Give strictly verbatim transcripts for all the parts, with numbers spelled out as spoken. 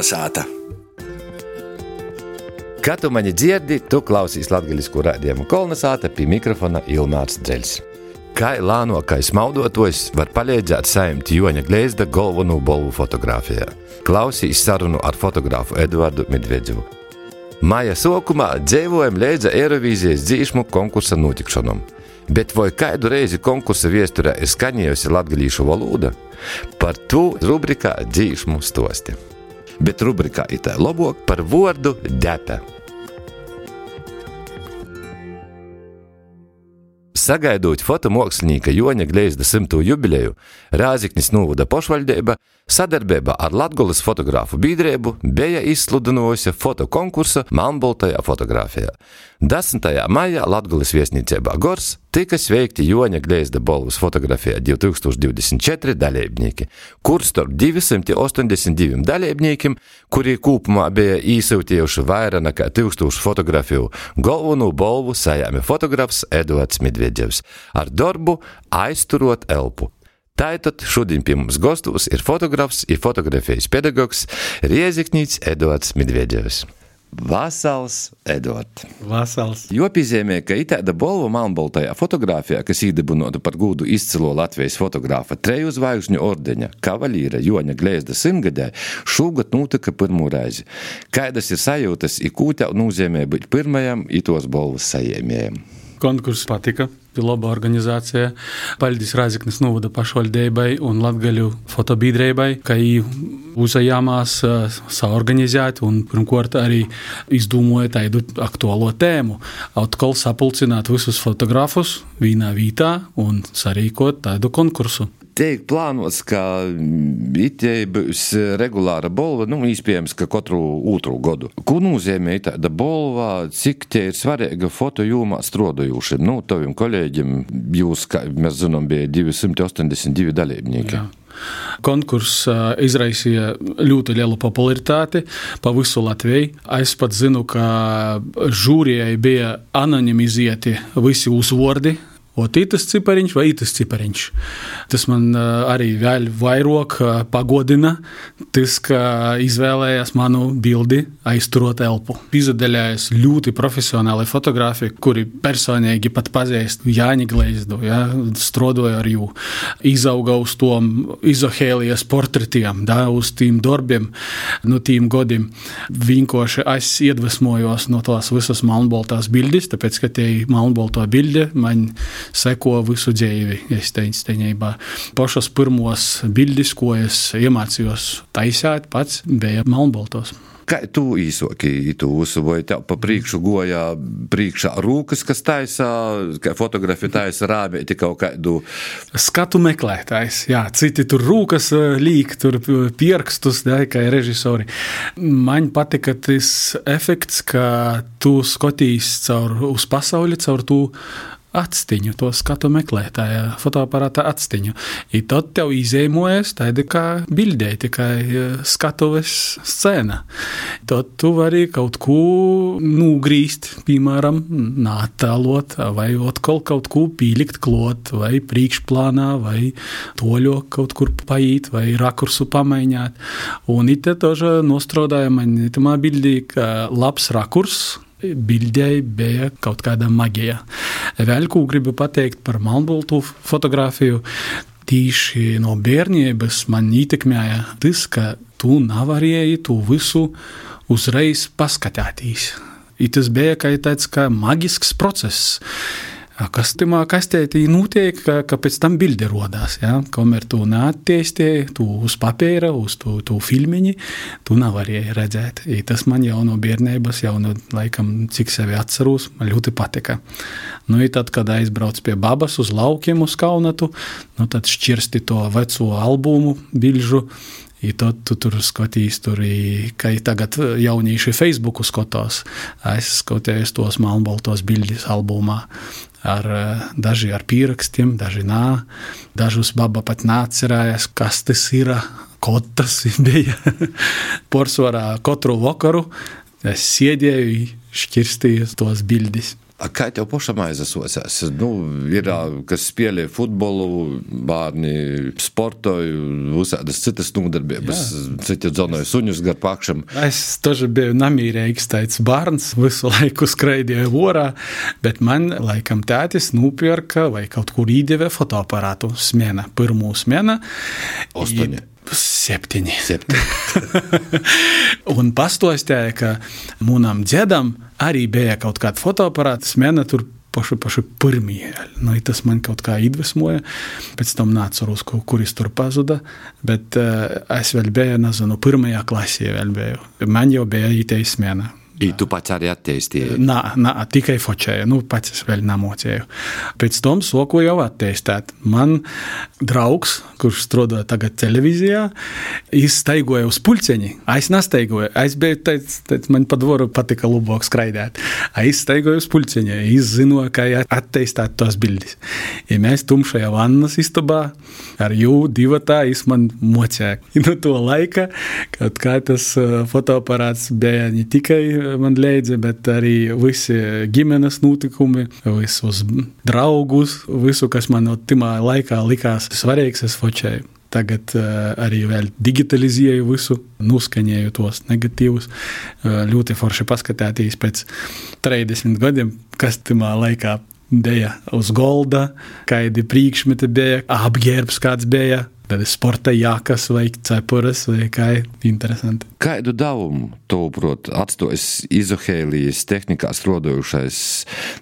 Kolnesāta. Kā tu mani dzirdi, tu klausīs latgaļisku raidījumu Kolnesāta, pie mikrofona Ilmārs Dzeļs. Kā lānokais maudotojs var palīdzēt sajimt Joņa Gleizda galveno balvu fotografijā. Klausīs sarunu ar fotografu Eduardu Medvedjevu. Maija sokumā dzīvojam leidza Eirovīzijas dzīšmu konkursa notikšanom. Bet vai kādu reizi konkursa viesturē ir skaņējusi latgalīšu valoda? Par to rubrikā dzīšmu stosti. Bet rubrikā itā labāk par vārdu depe. Sagaidot fotomokslinieka Joņa Gleizda simto jubileju, Rāziknis novada pašvaldība sadarbībā ar Latgolas fotografu biedrību bija izsludinājusi fotokonkursu melnbaltajā fotografijā. desmitajā maijā Latgolas viesnīcībā Gors tika sveikti Joņa Gleizda balvas fotografijā divi tūkstoši divdesmit četri dalībnieki, kur starp divsimt ostoņdesmit diviem dalībniekiem, kuri kopumā bija īsūtījuši vairāk nekā tūkstošu fotografiju, galveno balvu sajāma fotografs Eduards Medvedjevs ar darbu Aizturot elpu. Tātad šodien pie mums gostos ir fotografs un fotografijas pedagogs Rieziknīts Eduards Medvedjevs. Vasals, Eduard. Vasals. Jo piezīmē, ka itāda balva melnbaltajā fotografijā, kas īdibinota par gūdu izcilo Latvijas fotografa treju zvaigžņu ordeņa kavalīra Joņa Gleizda simtgadē, šogad notika pirmo reizi. Kādas ir sajūtas, i kū tev nozīmē būt pirmajam i tos balvas sajiemējam? Konkurss patika, bija laba organizācija. Paldies Rāziknis novada pašvaldībai un Latgaļu fotobiedrībai, ka viņi uzajāmās saorganizēt un pirmkārt arī izdomāja tādu aktuālo tēmu. Atkal sapulcināt visus fotografus vienā vietā un sarīkot tādu konkursu. Teik plānots, ka itei būs regulāra balva, nu, īspējams, ka katru otru godu. Ko nozīmē tāda balva, cik te ir svarīga foto jomā strādājošiem? Nu, taviem kolēģiem jūs, kā mēs zinām, bija divsimt ostoņdesmit divi dalībnieki. Jā. Konkurss uh, izraisīja ļoti lielu popularitāti pa visu Latviju. Es pat zinu, ka žūrijai bija anonimizēti visi uzvordi, ot itas cipariņš vai itas cipariņš. Tas man uh, arī vēl vairāk uh, pagodina, tas, ka izvēlējās manu bildi Aizturot elpu. Izadaļājas ļoti profesionāli fotografi, kuri personīgi pat pazīst Jāņa Gleizdu, ja, strodoja ar jū, izauga uz tom izohēlijas portretiem, da, uz tīm darbiem, no tīm godiem. Vienkārši es iedvesmojos no tās visas melnbaltās bildes, tāpēc, ka tie melnbalto bilde man seko visu dzīvi, es teicu teņībā. Pašas pirmos bildes, ko es iemācījos taisāt pats, bija melnbaltos. Kā tu īsoki tu visu, vai tev pa priekšu goja priekšā rūkas, kas taisa, kā fotografi taisa rābēti kaut kādu? Skatu meklētājs, jā, citi tur rūkas līk, tur pierkstus, da, kā režisori. Man patika tas efekts, ka tu skotīs caur, uz pasauli caur tu atstiņu, to skatu meklētāja, fotoaparāta atstiņu. I tad tev izēmojas tādi kā bildē, tikai skatuves scēna. Tad tu vari kaut ko nūgrīst, piemēram, nātālot, vai atkal kaut ko pīlikt klot, vai priekšplānā, vai toļo kaut kur paīt, vai rakursu pamaiņāt. Un ite toža nostrodāja man itamā bildī, ka labs rakurs, bildei bija kaut kāda magija. Vēl ko gribu pateikt par melnbaltu fotografiju, tīši no bērnības man ietekmēja tas, ka tu nevarēji tu visu uzreiz paskatīties. I tas bija kā tāds kā magisks process. Kas tamā kastētī notiek, ka, ka pēc tam bilde rodās, ja? Kamēr tu neattiestie, tu uz papīra, uz tu, tu filmiņi, tu nevarēji redzēt. I tas man jau no bērnības, jau no laikam, cik sevi atceros, man ļoti patika. Nu, i tad, kad aizbrauc pie babas uz laukiem uz Kaunatu, nu, tad šķirsti to veco albumu, bilžu, I tad tu tur skatīs, tur, kā tagad jaunīši Facebooku skatās. Es skatījos tos melnbaltos bildes albumā. Ar, daži ar pierakstiem, daži nā. Dažus baba pat nācerājās, kas tas ir, ko tas bija. Porsvarā katru vakaru es sēdēju, šķirstīju tos bildes. A kā tev pašam aizasocās? Nu, ir, kas spēlē futbolu, bērni sportoju, visādas citas nodarbības, citi dzonoja suņus gar pakšam. Es toži biju namīrīgs tāds bērns, visu laiku skraidīju vorā, bet man laikam tētis nupirka vai kaut kur īdeve fotoaparātu smēna, pirmū smēna. Ostoņi. Septiņi. Septiņi. Un pastostēja, ka mūnam dzedam arī bija kaut kāda fotoaparāta smēna tur paši, paši pirmie. Nu, tas man kaut kā iedvesmoja. Pēc tam nāceros, kuris tur pazuda, bet uh, es vēl biju, nezinu, pirmajā klasē vēl biju. Man jau bija ītei smēna. I tu pats arī attīstīji? Nā, nā, tikai fočēju. Nu, pats es vēl namocēju. Pēc tam soku jau attīstēt. Man draugs, kurš strādāja tagad televīzijā, izstaigoja uz pulceņi. Es nestaigoju. Es biju teic, teic, man pa dvoru patika lubok skraidēt. Es staigoju uz pulceņi. Es zinu, kā attīstēt tos bildis. Ja mēs tumšajā vannas istabā ar jū divatā, es man mocēju. No to laika, kaut kā tas fotoaparāts bija ne tikai man leidza, bet arī visi ģimenes notikumi, visus draugus, visu, kas man no timā laikā likās svarīgs, es fočēju. Tagad uh, arī vēl digitalizēju visu, nuskaņēju tos negatīvus. Uh, ļoti forši paskatēties pēc trīsdesmit gadiem, kas timā laikā bija uz golda, kādi priekšmeti bija, apģērbs kāds bija, tad sporta jākas vai cepuras vai kā interesanti. Kādu devumu, tavuprāt, atstājas izohēlijas tehnikā strādājušais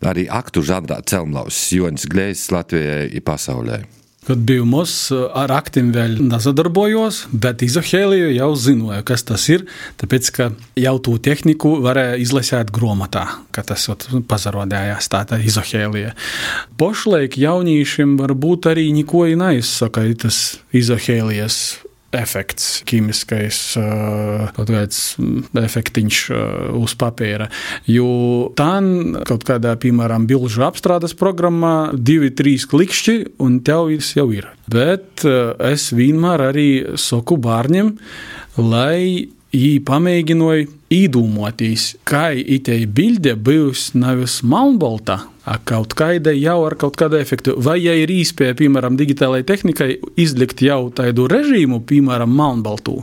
arī aktu žanrā Celmlaus Jonis Gleizs Latvijai i pasaulē? Kad biju mos, ar aktim vēl nezadarbojos, bet izohēliju jau zinoju, kas tas ir, tāpēc, ka jau tū tehniku varēja izlasēt grāmatā, ka tas pazarodējās tāda izohēlija. Pošlaik jaunīšiem varbūt arī niko neizsaka, tas izohēlijas efekts, ķīmiskais kaut kāds efektiņš uz papīra. Jo tān kaut kādā, piemēram, bilžu apstrādes programmā divi, trīs klikšķi un tev jau ir. Bet es vienmēr arī saku bārņiem, lai jī pamēģinoju īdūmotīs, kā itei bilde bijus nevis malnbolta, a kaut kāda jau ar kaut kādu efektu. Vai ja ir īspēja, piemēram, digitālai tehnikai izlikt jau tādu režīmu, piemēram, malnbaltū,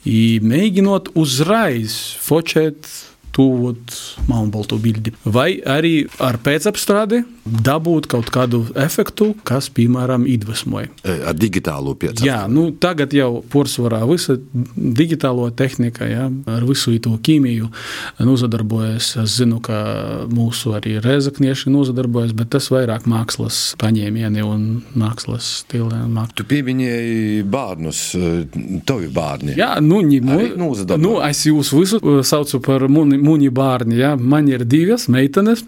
i mēģinot uzreiz fočēt tūvot malnbaltu bildi. Vai arī ar pēcapstrādi dabūt kaut kādu efektu, kas, piemēram, iedvesmoja. Ar digitālo pēcapstrādi? Jā, nu tagad jau porsvarā visa digitālo tehnika, jā, ar visu to ķīmiju nozadarbojas. Es zinu, ka mūsu arī rezaknieši nozadarbojas, bet tas vairāk mākslas paņēmieni un mākslas stili. Tu pieminēji bārnus, tavi bārni. Jā, nu, ņimu, nu, es jūs visu saucu par muni Mūņi bārni, jā, man ir divas meitenes,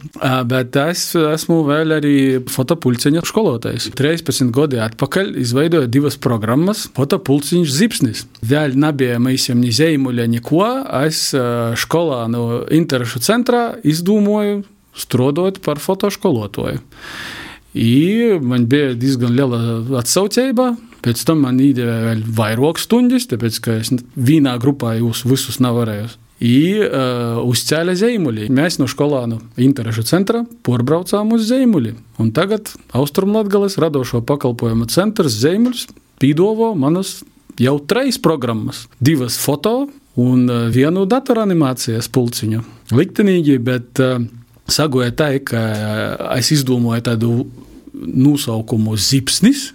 bet es esmu vēl arī fotopulceņa školotājs. trīspadsmit gadi atpakaļ izveidoju divas programmas fotopulceņš Zipsnis. Vēl nebija mēs jau ni zeimuļa, neko. Es školā no interešu centrā izdūmoju strodot par fotoškolotoju. I man bija diezgan liela atsaucējba. Pēc tam man īdeva vēl vairāk stundas, tāpēc, ka es vienā grupā jūs visus nevarēju. I uh, uzcēla Zeimuļi. Mēs no školānu interešu centra porbraucām uz Zeimuļi. Un tagad Austrumlatgales radošo pakalpojumu centrs Zeimuļs pīdovo manas jau treis programmas. Divas foto un uh, vienu datoranimācijas pulciņu. Liktenīgi, bet uh, sagoja tā, ka uh, es izdomāju tādu nosaukumu Zipsnis,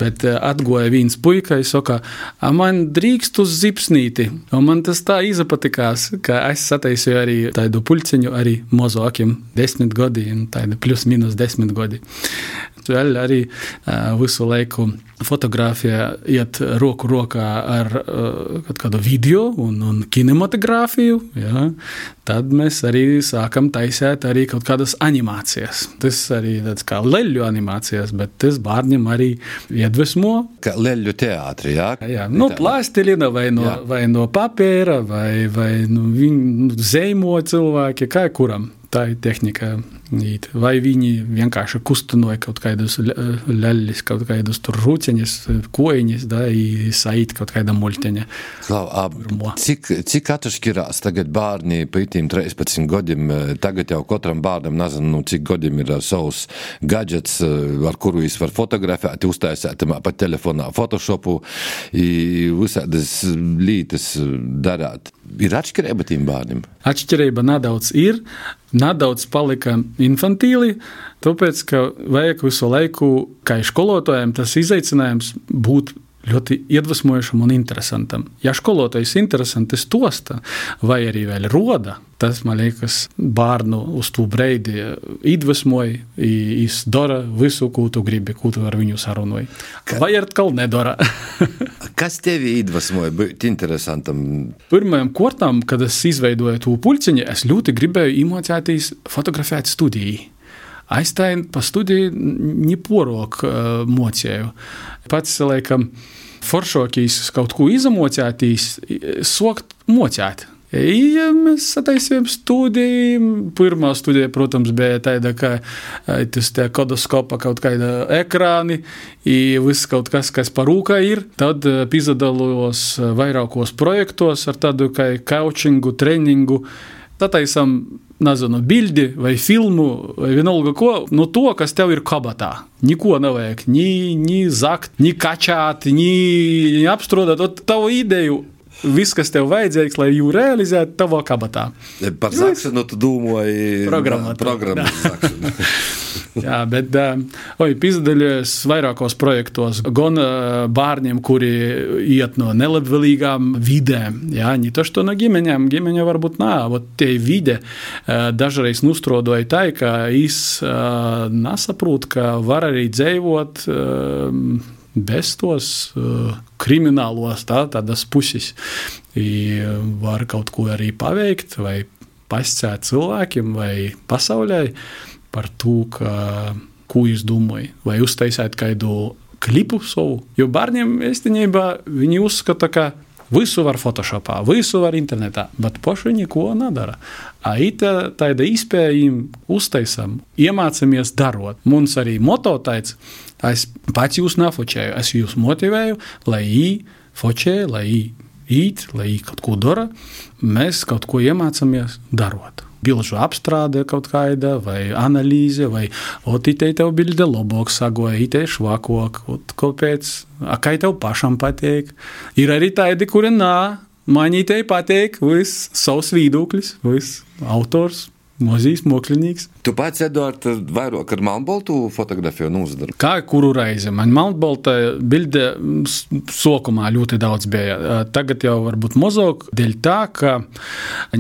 bet atgoja viens puika, es saka, a man drīkst uz zipsnīti. Un man tas tā izapatikās, ka es sataisīju arī tādu pulciņu arī mozokiem desmit gadi, un tādu plus minus desmit gadi. Vēl arī uh, visu laiku fotografija iet roku rokā ar uh, kādu video un, un kinematogrāfiju, jā. Tad mēs arī sākam taisēt arī kaut kādas animācijas. Tas arī tāds kā leļu animācijas, bet tas bārņiem arī iedvesmo. Kā leļu teātri, jā? Jā, no plastilina vai no, vai no papēra vai, vai no viņu zeimo cilvēki, kā kuram. Tā ir tehnika Vai viņi vienkārši kustinoja kaut kādus ļaļļus, kaut kādus tur rūceņus, koiņus, da, i saīt kaut kāda muļteņa. Klau, a, cik, cik atšķirās tagad bārni pa itīm trīspadsmit godim, tagad jau katram bārnam, nezinu, nu, cik godim ir savs gadžets, ar kuru viņš var fotografēt, uztaisēt pa telefonā Photoshopu i visādas lītas darāt. Ir atšķirība tiem bārnim? Atšķirība nedaudz ir, nedaudz palika infantīli, tāpēc, ka vajag visu laiku, kā skolotājiem, tas izaicinājums būt ļoti iedvesmojušam un interesantam. Ja skolotājs interesanti stosta, vai arī vēl roda, tas, man liekas, bārnu uz tū breidi iedvesmoja, viņš dara visu, ko tu gribi, ko tu ar viņu sarunoji. Ka... Vai atkal nedara. Kas tevi iedvesmoja būt interesantam? Pirmajam kortam, kad es izveidoju tū puļciņu, es ļoti gribēju iemācēties fotografēt studiju. Es tā pa studiju neporok uh, mocēju. Pats, laikam, foršokīs kaut ko izamocētīs, sokt mocēt. Ja mēs sataisījām studiju. Pirmā studija, protams, bija tāda, ka tas te kodoskopa kaut kāda ekrāni i viss kaut kas, kas parūkā ir. Tad pizadalos vairākos projektos ar tādu kā coachingu, treningu. Sataisam, nezinu, bildi vai filmu, vai vienalga ko, no to, kas tev ir kabatā. Niko nevajag, ni, ni zakt, ni kačāt, ni, ni apstrādāt. Ot tavu ideju, viss, kas tev vajadzīgs, lai jū realizētu tavā kabatā. Par zakšanu tu domāji programmu zakšanu. Jā, bet, oi, pizdalījos vairākos projektos, gan bārņiem, kuri iet no nelabvēlīgām vidēm, jā, ne to, što no ģimeņām, ģimeņa varbūt nā, ot tie vide dažreiz nustrodoja tā, ka es nesaprūt, ka var arī dzēvot bez tos kriminālos, tā, tādas puses, I var kaut ko arī paveikt, vai pascēt cilvēkiem, vai pasaulē, par to, ka, ko jūs domāju, vai uztaisāt kādu klipu savu. Jo bārņiem, īstenībā, viņi uzskata, ka visu var Photoshopā, visu var internetā, bet paši neko nedara. A ita tāda izpējiem uztaisam, iemācamies darot. Mums arī moto tāds, es pats jūs nefočēju, es jūs motivēju, lai jī fočēju, lai jī īt, lai jī kaut ko dara, mēs kaut ko iemācamies darot. Bilžu apstrāde kaut kāda, vai analīze, vai ot, itei tev bilde labāk sagoja, itei švakok, ot, kāpēc, a, kai tev pašam pateik. Ir arī tādi, kuri nā, man itei pateik, viss savs viedoklis, viss autors, mozīs moklinīgs. Tu pats, Eduard, vairāk ar melnbaltu fotografiju nūzadaru? Kā kuru reizi? Man melnbalta bilde sokumā ļoti daudz bija. Tagad jau varbūt mazāk, dēļ tā, ka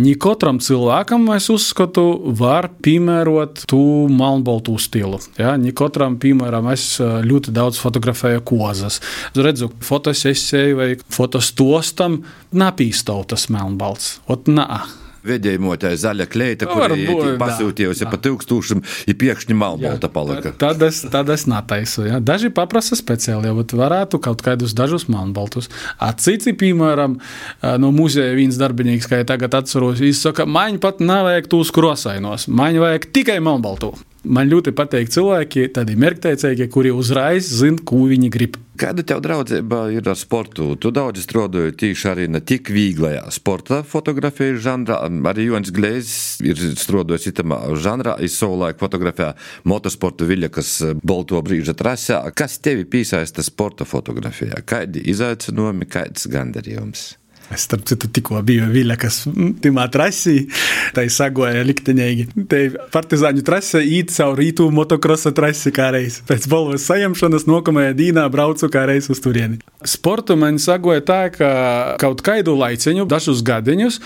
ne katram cilvēkam, es uzskatu, var piemērot tū melnbaltu stilu. Ja? Ne katram, piemēram, es ļoti daudz fotografēju kozas. Redzu, fotosesiju vai fotostostam napīstau tas melnbalts. Ot, nā. Vedējumotā zaļa kleita, kuri pasūtījusi pa tūkstūšam i piekšņi melnbalta palika. Tad es, tad es nataisu. Ja. Daži paprasa speciāli, ja varētu kaut kādus dažus melnbaltus. A citi, piemēram, no muzeja viens darbinīgs, kā ja tagad atceros, viņš saka, man pat nevajag tūs krosainos, man vajag tikai melnbaltu. Man ļoti pateik cilvēki, tādi mērķteicēki, kuri uzreiz zina, ko viņi grib. Kāda tev draudzība ir ar sportu? Tu daudz strādāji tīši arī ne tik vīglajā sporta fotografijas žanrā. Arī Joņs Glēzis ir strādājis itamā žanrā. Es savulaik fotografēju motosportu Viļakas bolto brīža trasē. Kas tevi piesaista sporta fotografijā? Kādi izaicinājumi, kāds gandarījums? Es starp citu tikko biju Viļakas timā trasī, tai sagoja likteņīgi. Te partizāņu trase īt savu rītū motokrosa trasi kā reiz. Pēc balvas sajemšanas nokamajā dīnā braucu kā reiz uz turieni. Sportu man sagoja tā, ka kaut kaidu laiciņu, dažus gadiņus,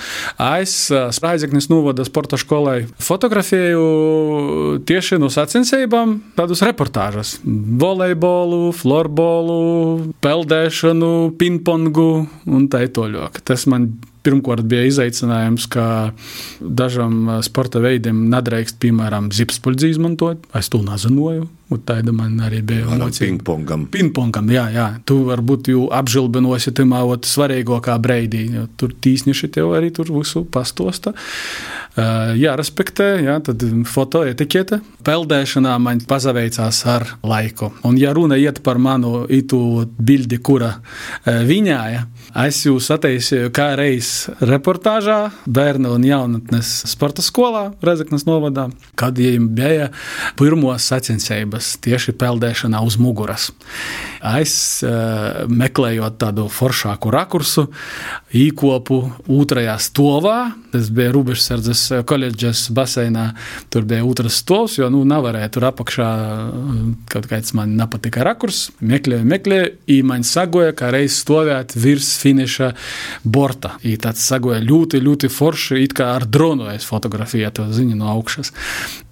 es Sprādzeknis novada sporta školai fotografēju tieši no sacensībām tādus reportāžas. Volejbolu, florbolu, peldēšanu, pingpongu un tā toļok. Tas man pirmkārt bija izaicinājums, ka dažam sporta veidiem nedrīkst, piemēram, zipspuļdzi izmantot. Es to nezinoju. Un tāda man arī bija emocija. Pingpongam. Pingpongam, jā, jā. Tu varbūt jau apžilbinosi tamā ot svarīgākā breidī. Tur tīsniši tev arī tur visu pastosta. Uh, jā, respektē, jā, tad fotoetikete. Peldēšanā man pazaveicās ar laiku. Un ja runa iet par manu itu bildi, kura uh, viņāja, es jūs ateisīju kā reiz reportāžā bērnu un jaunatnes sporta skolā Rezeknes novadā, kad viņiem bija pirmos sacensības tieši peldēšanā uz muguras. Es uh, meklējot tādu foršāku rakursu, īkopu otrajā stovā, tas bija Rūbežsardzes koledžas baseinā, tur bija otras stovs, jo nu nevarēja tur apakšā, kaut kāds man nepatika rakurs, meklēju, meklēju, i man sagoja, kā reiz stovēt virs finiša borta. I tāds sagoja ļoti, ļoti forši, it kā ar dronu es fotografēju to ziņu no augšas.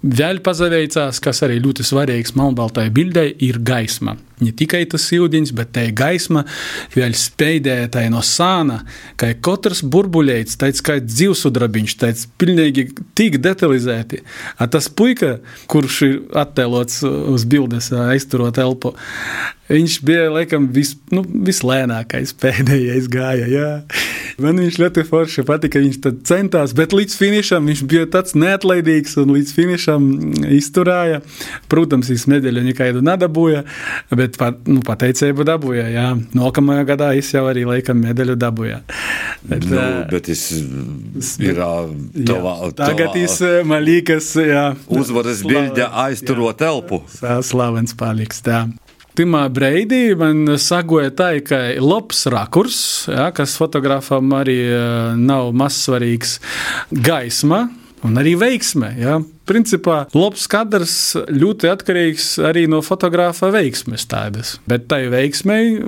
Vēl pazaveicās, kas arī ļoti svarīgs melnbaltai bildei, ir gaisma. Ne tikai tas ūdens, bet tai gaisma vēl speidēja tai no sāna, ka katrs burbuļeits, tāds kā dzīvsudrabiņš, tāds pilnīgi tik detalizēti. A tas puika, kurš ir attēlots uz bildes, aizturot elpu, viņš bija, laikam, vis, nu, vislēnākais pēdējais gāja, jā. Man viņš ļoti forši patika, viņš tad centās, bet līdz finišam viņš bija tāds neatlaidīgs un līdz finišam izturāja. Protams, viņš medaļu nekaidu nedabūja, bet pat, nu, pateicību dabūja, jā. Nākamajā gadā viņš jau arī laikam medaļu dabūja. Bet, nu, bet viņš ir tavā... Tagad viņš man liekas, jā. Uzvaras bilde aizturot elpu. Slavens paliks, tā. Timā breidī man sagoja tā, ka labs rakurs, ja, kas fotografam arī nav mazsvarīgs, gaisma un arī veiksme. Ja. Principā labs kadrs ļoti atkarīgs arī no fotografa veiksmes tādas, bet tai veiksmei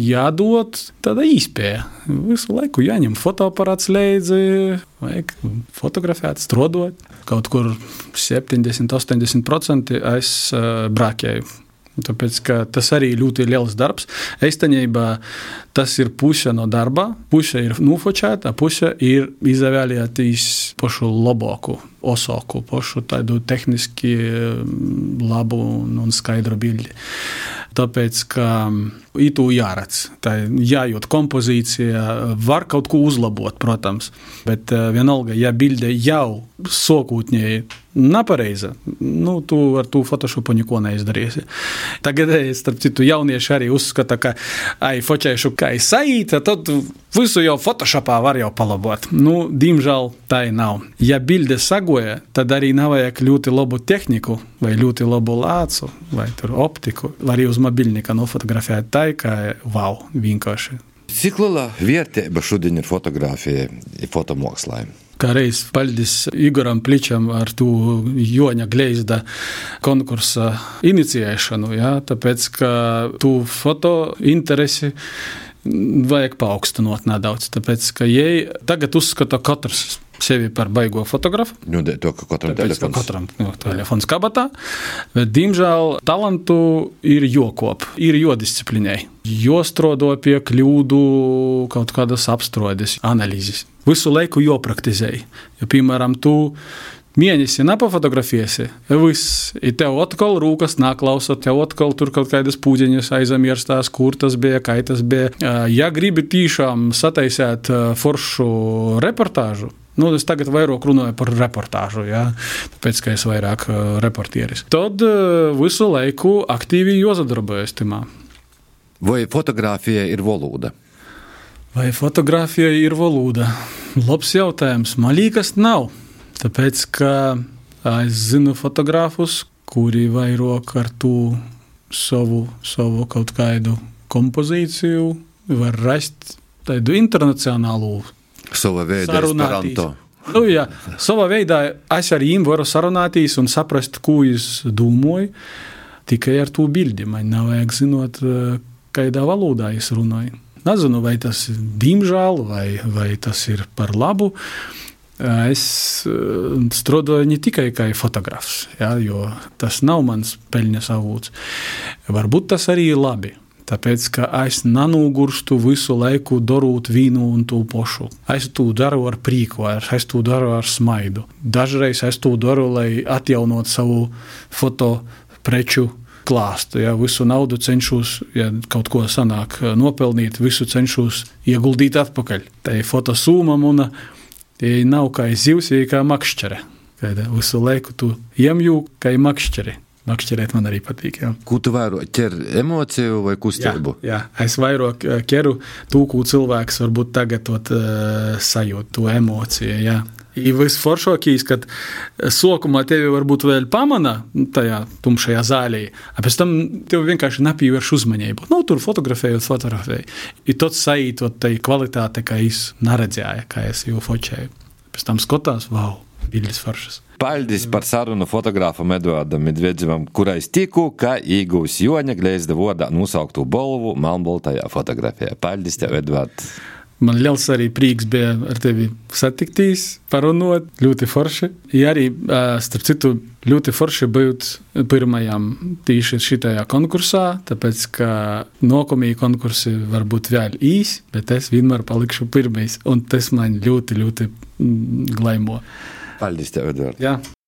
jādod tāda īspēja. Visu laiku jāņem fotoaparāts leidzi, vajag fotografēt, strodot. Kaut kur septiņdesmit līdz astoņdesmit procenti es uh, brākēju. Tāpēc, ka tas arī ļoti liels darbs. Eistaņībā tas ir puse no darba, puse ir nufočēta, puse ir izvēlēties pašu labāku, osāku, pašu tādu tehniski labu un skaidru bildi. Tāpēc, ka itu jāredz, tā jājūt kompozīcija, var kaut ko uzlabot, protams, bet vienalga, ja bilde jau sokūtņēji nepareiza, nu, tu ar tu Photoshopu neko neizdarīsi. Tagad, starp citu, jaunieši arī uzskata, ka ai, fočēšu kā saīta, tad visu jau Photoshopā var jau palabot. Nu, diemžēl tā nav. Ja bilde sagoja, tad arī nevajag ļoti labu tehniku, vai ļoti labu lācu, vai tur optiku, var arī uz mobilnika nofotografēt tā, ka wow, vienkārši. Cik liela vērtība šodien ir fotografija fotomokslā? Kā reiz paldies Igoram Pličam ar tu Joņa Gleizda konkursa inicijēšanu, ja, tāpēc, ka tu foto interesi vajag paaugstinot nedaudz, tāpēc, ka jai tagad uzskata katrs sevi par baigo fotografu. Nu, to, ka katram tāpēc, telefons. Ka katram nu, telefons kabatā, bet, diemžēl, talantu ir jokop, ir jodisciplinēji. Jostrodo pie kļūdu kaut kādas apstrodes, analīzes. Visu laiku jopraktizēji. Ja, piemēram, tu mēnesi nepafotografiesi, viss, i tev atkal rūkas naklausa, tev atkal tur kaut kādas pūdziņas aizamierstās, kur tas bija, kā tas bija. Ja gribi tīšām sataisēt foršu reportāžu, nu, es tagad vairāk runāju par reportāžu, ja, tāpēc, ka es vairāk reportieris. Tad visu laiku aktīvi jozadarbojas timā. Vai fotografija ir valoda? Vai fotografija ir valoda? Labs jautājums. Man liekas, nav. Tāpēc, ka es zinu fotogrāfus, kuri vairāk ar tu savu, savu kaut kādu kompozīciju var rast tādu internacionālu Sava veida esperanto. Nu, jā, savā veidā es ar viņiem varu sarunātīs un saprast, ko es domāju, tikai ar to bildi. Man nav vajag zinot, kādā valodā es runāju. Nezinu, vai tas ir diemžēl, vai, vai tas ir par labu. Es strādāju ne tikai kā fotografs, ja, jo tas nav mans peļņas avots. Varbūt tas arī ir labi. Tāpēc, ka es nanūgurstu visu laiku darot vīnu un to pošu. Es to daru ar prīku, es to daru ar smaidu. Dažreiz es to daru, lai atjaunot savu foto preču klāstu. Ja, visu naudu cenšos, ja kaut ko sanāk nopelnīt, visu cenšos ieguldīt atpakaļ. Tā ir fotosūmam un ja nav kā zivs, ja kā makšķere. Kad visu laiku tu iemjū, kā makšķeri. Makšķerēt man arī patīk, jā. Ko tu vairo ķer emociju vai kustību? Jā, jā. Es vairo ķeru tū, ko cilvēks varbūt tagad ot, uh, sajūt, to emociju, jā. I visforšākīs, kad sokumā tevi varbūt vēl pamana tajā tumšajā zālī, a pēc tam tevi vienkārši nepīvērš uzmanību. Nu, tur fotografējot, fotografēju. I tot sajūt, ot, tai kvalitāte, kā es naredzēju, kā es jau fočēju. Pēc tam skotās, vau, bildes foršas. Paldies par sarunu fotogrāfam Eduardam Medvedzevam, kurais tiku, ka īgūs Joņa Gleizda vodā nosauktu balvu melnbaltajā fotografijā. Paldies tev, Eduard! Man liels arī prīks bija ar tevi satiktīs, parunot, ļoti forši. Ja arī, starp citu, ļoti forši būt pirmajām tīši šitajā konkursā, tāpēc, ka nokomī konkursi var būt vēl īsi, bet es vienmēr palikšu pirmais, un tas man ļoti, ļoti glaimo. Paldies tev, Eduard! Jā.